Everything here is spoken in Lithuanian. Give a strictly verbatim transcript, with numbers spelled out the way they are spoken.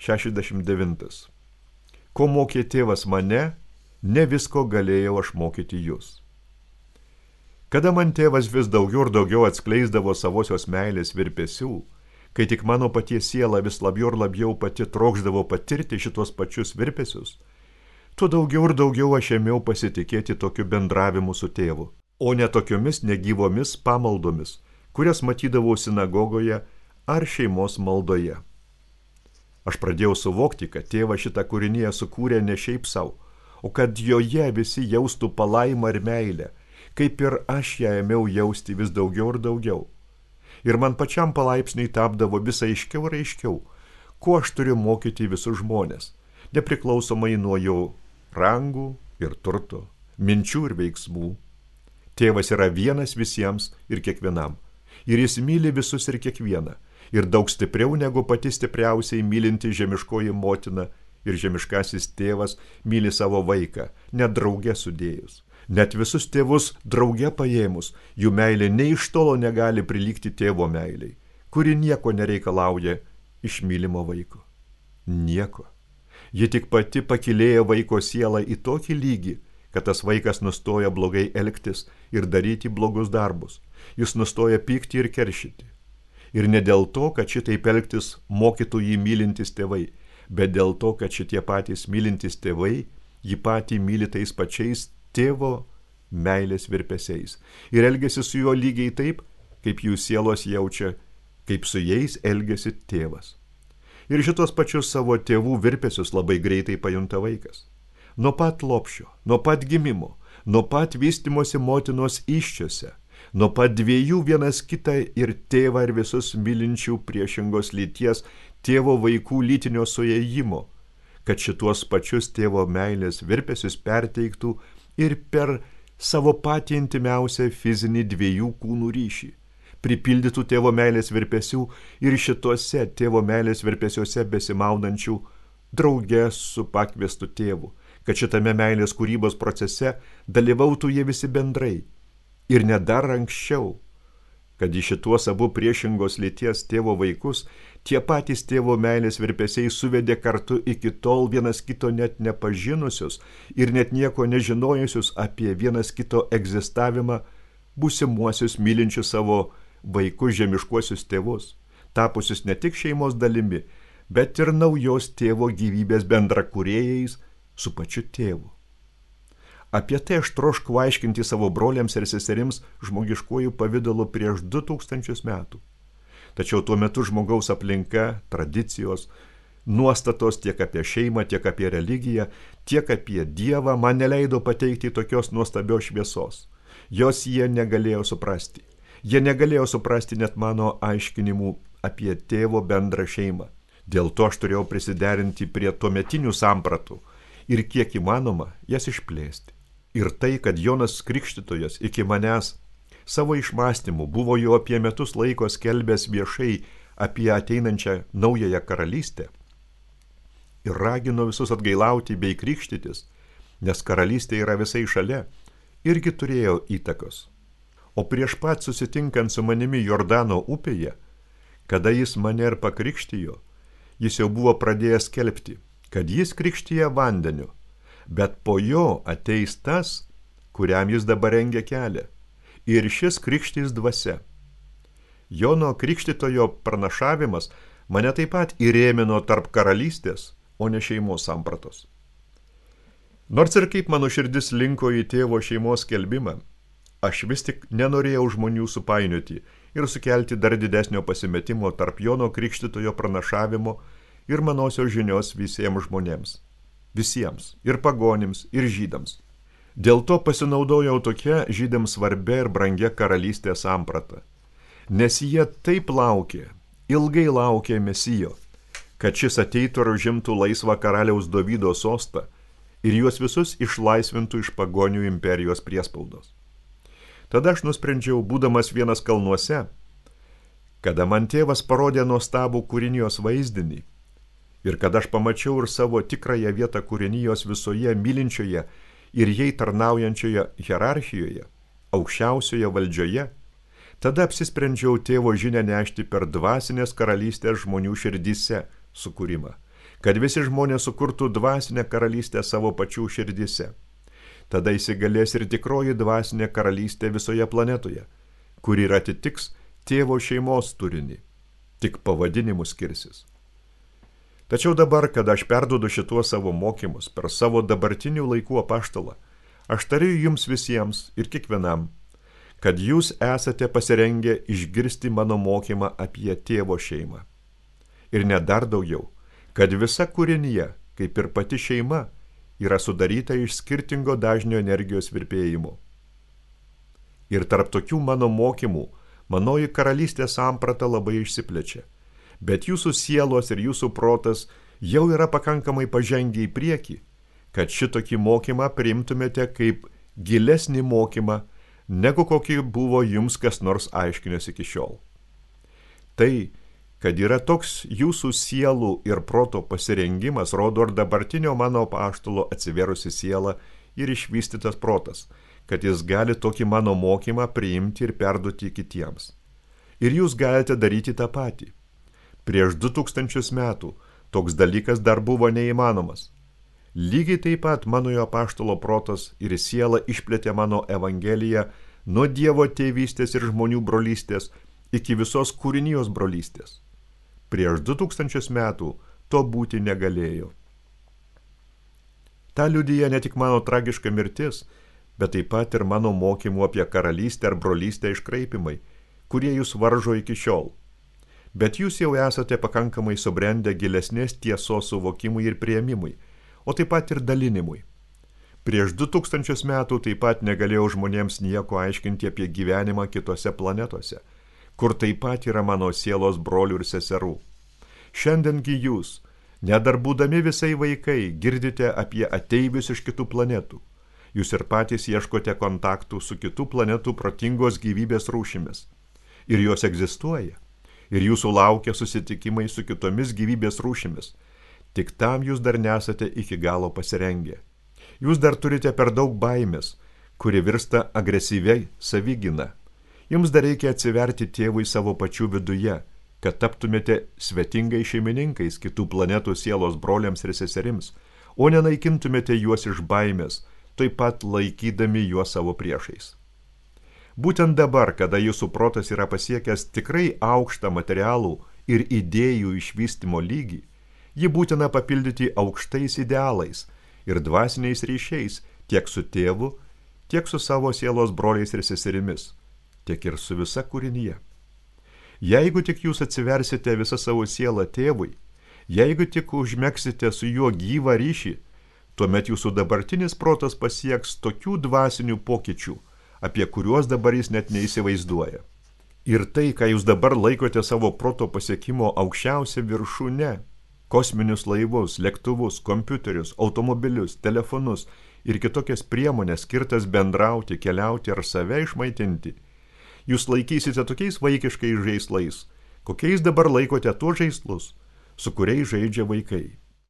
šešiasdešimt devintas. Ko mokė tėvas mane, ne visko galėjau aš mokyti jūs. Kada man tėvas vis daugiau ir daugiau atskleisdavo savosios meilės virpesių, kai tik mano paties siela vis labiau ir labiau pati trokšdavo patirti šitos pačius virpesius, tuo daugiau ir daugiau aš ėmiau pasitikėti tokiu bendravimu su tėvu, o ne tokiomis negyvomis pamaldomis, kurias matydavau sinagogoje ar šeimos maldoje. Aš pradėjau suvokti, kad tėvas šitą kūriniją sukūrė ne šiaip sau, o kad joje visi jaustų palaimą ir meilę, kaip ir aš ją ėmiau jausti vis daugiau ir daugiau. Ir man pačiam palaipsniui tapdavo vis aiškiau ir aiškiau, ko aš turiu mokyti visus žmonės, nepriklausomai nuo jo rangų ir turto, minčių ir veiksmų. Tėvas yra vienas visiems ir kiekvienam, ir jis myli visus ir kiekvieną, ir daug stipriau negu pati stipriausiai mylinti žemiškoji motina ir žemiškasis tėvas myli savo vaiką, net drauge sudėjus. Net visus tėvus drauge paėmus, jų meilė nei iš tolo negali prilygti tėvo meiliai, kuri nieko nereikalauja iš mylimo vaiko. Nieko. Ji tik pati pakilėja vaiko sielą į tokį lygį, kad tas vaikas nustoja blogai elgtis ir daryti blogus darbus. Jis nustoja pykti ir keršyti. Ir ne dėl to, kad šitaip elgtis mokytų jį mylintis tėvai, bet dėl to, kad šitie patys mylintis tėvai jį patį myli tais pačiais tėvo meilės virpesiais ir elgiasi su juo lygiai taip, kaip jų sielos jaučia, kaip su jais elgiasi tėvas. Ir šitos pačius savo tėvų virpesius labai greitai pajunta vaikas. Nuo pat lopšio, nuo pat gimimo, nuo pat vystimosi motinos įsčiose, nuo pat dviejų vienas kitą ir tėvą ir visus mylinčių priešingos lyties tėvo vaikų lytinio suėjimo, kad šituos pačius tėvo meilės virpesius perteiktų ir per savo patį intimiausią fizinį dviejų kūnų ryšį, pripildytų tėvo meilės virpesių ir šituose tėvo meilės virpesiuose besimaudančių drauge su pakviestu tėvu, kad šitame meilės kūrybos procese dalyvautų jie visi bendrai ir net dar anksčiau, kad į šituos abu priešingos lyties tėvo vaikus tie patys tėvo meilės virpesiai suvedė kartu iki tol vienas kito net nepažinusius ir net nieko nežinojusius apie vienas kito egzistavimą būsimuosius mylinčius savo vaikus žemiškuosius tėvus, tapusius ne tik šeimos dalimi, bet ir naujos tėvo gyvybės bendrakūrėjais su pačiu tėvu. Apie tai aš troškau aiškinti savo broliams ir seserims žmogiškuoju pavidalu prieš du tūkstančius metų. Tačiau tuo metu žmogaus aplinka, tradicijos, nuostatos tiek apie šeimą, tiek apie religiją, tiek apie Dievą man neleido pateikti tokios nuostabios šviesos. Jos jie negalėjo suprasti. Jie negalėjo suprasti net mano aiškinimų apie tėvo bendrą šeimą. Dėl to aš turėjau prisiderinti prie tuometinių sampratų ir kiek įmanoma jas išplėsti. Ir tai, kad Jonas Krikštytojas iki manęs savo išmąstymų buvo jau apie metus laiko skelbęs viešai apie ateinančią naująją karalystę ir ragino visus atgailauti bei krikštytis, nes karalystė yra visai šalia, irgi turėjo įtakos. O prieš pat susitinkant su manimi Jordano upėje, kada jis mane ir pakrikštijo, jis jau buvo pradėjęs skelbti, kad jis krikštija vandeniu, bet po jo ateis tas, kuriam jis dabar rengia kelią, ir šis krikštys dvasia. Jono Krikštytojo pranašavimas mane taip pat įrėmino tarp karalystės, o ne šeimos sampratos. Nors ir kaip mano širdis linko į tėvo šeimos skelbimą, aš vis tik nenorėjau žmonių supainioti ir sukelti dar didesnio pasimetimo tarp Jono Krikštytojo pranašavimo ir manosios žinios visiems žmonėms. Visiems, ir pagonims, ir žydams. Dėl to pasinaudojau tokia žydams svarbia ir brangia karalystės samprata, nes jie taip laukė, ilgai laukė Mesijo, kad šis ateitų ir užimtų laisvą karaliaus Dovydo sostą ir juos visus išlaisvintų iš pagonių imperijos priespaudos. Tada aš nusprendžiau, būdamas vienas kalnuose, kada man tėvas parodė nuostabų kūrinijos vaizdinį, ir kad aš pamačiau ir savo tikrąją vietą kūrinijos visoje mylinčioje ir jai tarnaujančioje hierarchijoje, aukščiausioje valdžioje, tada apsisprendžiau tėvo žinią nešti per dvasinės karalystės žmonių širdyse sukūrimą kad visi žmonės sukurtų dvasinę karalystę savo pačių širdise. Tada įsigalės ir tikroji dvasinė karalystė visoje planetoje, kuri ir atitiks tėvo šeimos turinį, tik pavadinimus skirsis. Tačiau dabar, kada aš perduodu šituos savo mokymus per savo dabartinių laikų apaštalą, aš tariu jums visiems ir kiekvienam, kad jūs esate pasirengę išgirsti mano mokymą apie tėvo šeimą. Ir net dar daugiau, kad visa kūrinija, kaip ir pati šeima, yra sudaryta iš skirtingo dažnio energijos virpėjimo. Ir tarp tokių mano mokymų, manoji karalystės samprata labai išsiplečia, bet jūsų sielos ir jūsų protas jau yra pakankamai pažengę į priekį, kad šitokį mokymą priimtumėte kaip gilesnį mokymą, negu kokį buvo jums kas nors aiškinęs iki šiol. Tai, kad yra toks jūsų sielų ir proto pasirengimas, rodo ir dabartinio mano apaštalo atsiverusi siela ir išvystytas protas, kad jis gali tokį mano mokymą priimti ir perduoti kitiems. Ir jūs galite daryti tą patį. Prieš du tūkstančius metų toks dalykas dar buvo neįmanomas. Lygiai taip pat manojo apaštalo protas ir siela išplėtė mano evangeliją nuo Dievo tėvystės ir žmonių brolystės iki visos kūrinijos brolystės. Prieš du tūkstančius metų to būti negalėjo. Ta liudija ne tik mano tragiška mirtis, bet taip pat ir mano mokymų apie karalystę ar brolystę iškraipimai, kurie jūs varžo iki šiol. Bet jūs jau esate pakankamai subrendę gilesnės tiesos suvokimui ir priėmimui, o taip pat ir dalinimui. Prieš du tūkstančius metų taip pat negalėjau žmonėms nieko aiškinti apie gyvenimą kitose planetose, kur taip pat yra mano sielos brolių ir seserų. Šiandiengi jūs, nedar būdami visai vaikai, girdite apie ateivius iš kitų planetų. Jūs ir patys ieškote kontaktų su kitų planetų protingos gyvybės rūšimis. Ir jos egzistuoja. Ir jūsų laukia susitikimai su kitomis gyvybės rūšimis. Tik tam jūs dar nesate iki galo pasirengę. Jūs dar turite per daug baimės, kuri virsta agresyviai savigyna. Jums dar reikia atsiverti tėvui savo pačių viduje, kad taptumėte svetingais šeimininkais kitų planetų sielos broliams ir seserims, o nenaikintumėte juos iš baimės, taip pat laikydami juos savo priešais. Būtent dabar, kada jūsų protas yra pasiekęs tikrai aukštą materialų ir idėjų išvystymo lygį, jį būtina papildyti aukštais idealais ir dvasiniais ryšiais tiek su tėvu, tiek su savo sielos broliais ir seserimis, tiek ir su visa kūrinyje. Jeigu tik jūs atsiversite visą savo sielą tėvui, jeigu tik užmegsite su juo gyvą ryšį, tuomet jūsų dabartinis protas pasieks tokių dvasinių pokyčių, apie kuriuos dabar jis net neįsivaizduoja. Ir tai, ką jūs dabar laikote savo proto pasiekimo aukščiausia viršūne, kosminius laivus, lėktuvus, kompiuterius, automobilius, telefonus ir kitokias priemonės skirtas bendrauti, keliauti ar save išmaitinti, jūs laikysite tokiais vaikiškais žaislais, kokiais dabar laikote tuos žaislus, su kuriais žaidžia vaikai.